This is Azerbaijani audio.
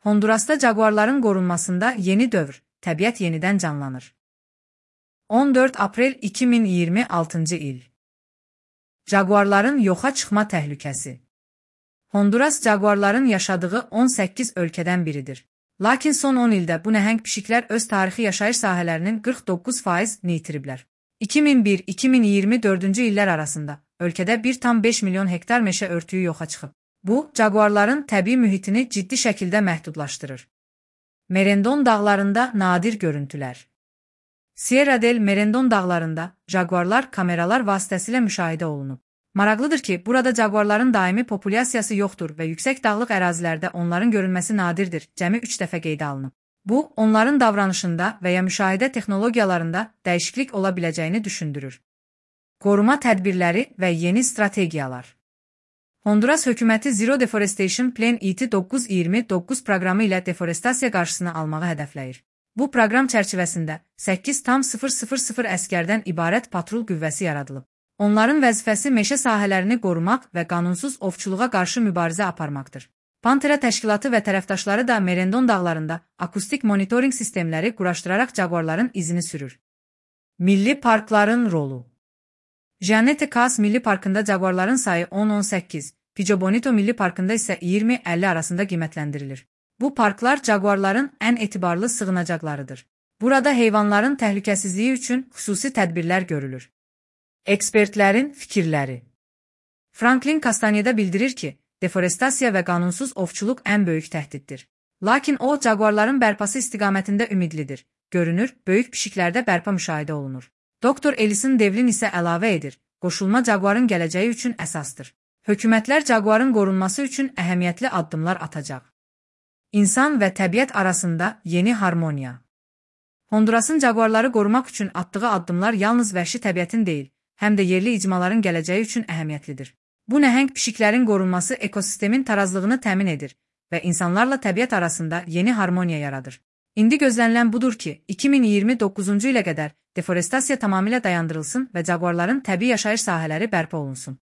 Hondurasda jaguarların qorunmasında yeni dövr, təbiət yenidən canlanır. 14 aprel 2026 il. Jaguarların yoxa çıxma təhlükəsi. Honduras jaguarların yaşadığı 18 ölkədən biridir. Lakin son 10 ildə bu nəhəng pişiklər öz tarixi yaşayış sahələrinin 49%-ni itiriblər. 2001-2024-cü illər arasında ölkədə 1,5 milyon hektar meşə örtüyü yoxa çıxıb. Bu, jaguarların təbii mühitini ciddi şəkildə məhdudlaşdırır. Merendon dağlarında nadir görüntülər. Sierra del Merendon dağlarında jaguarlar kameralar vasitəsilə müşahidə olunub. Maraqlıdır ki, burada jaguarların daimi populyasiyası yoxdur və yüksək dağlıq ərazilərdə onların görünməsi nadirdir, cəmi 3 dəfə qeydə alınıb. Bu, onların davranışında və ya müşahidə texnologiyalarında dəyişiklik ola biləcəyini düşündürür. Qoruma tədbirləri və yeni strategiyalar. Honduras hökuməti Zero Deforestation Plan ET 929 proqramı ilə deforestasiya qarşısını almağı hədəfləyir. Bu proqram çərçivəsində 8,000 əsgərdən ibarət patrul qüvvəsi yaradılıb. Onların vəzifəsi meşə sahələrini qorumaq və qanunsuz ovçuluğa qarşı mübarizə aparmaqdır. Pantera təşkilatı və tərəfdaşları da Merendon dağlarında akustik monitorinq sistemləri quraşdıraraq jaguarların izini sürür. Milli parkların rolu. Jeanette Cas Milli Parkında jaguarların sayı 10-18, Pico Bonito Milli Parkında isə 20-50 arasında qiymətləndirilir. Bu parklar jaguarların ən etibarlı sığınacaqlarıdır. Burada heyvanların təhlükəsizliyi üçün xüsusi tədbirlər görülür. Ekspertlərin fikirləri. Franklin Castaneda bildirir ki, deforestasiya və qanunsuz ovçuluq ən böyük təhdiddir. Lakin o, jaguarların bərpası istiqamətində ümidlidir. Görünür, böyük pişiklərdə bərpa müşahidə olunur. Dr. Ellison Devlin isə əlavə edir, qoşulma jaguarın gələcəyi üçün əsasdır. Hökumətlər jaguarın qorunması üçün əhəmiyyətli addımlar atacaq. İnsan və təbiət arasında yeni harmoniya. Hondurasın jaguarları qorumaq üçün atdığı addımlar yalnız vəhşi təbiətin deyil, həm də yerli icmaların gələcəyi üçün əhəmiyyətlidir. Bu nəhəng pişiklərin qorunması ekosistemin tarazlığını təmin edir və insanlarla təbiət arasında yeni harmoniya yaradır. İndi gözlənilən budur ki, 2029-cu ilə qədər deforestasiya tamamilə dayandırılsın və jaguarların təbii yaşayış sahələri bərpa olunsun.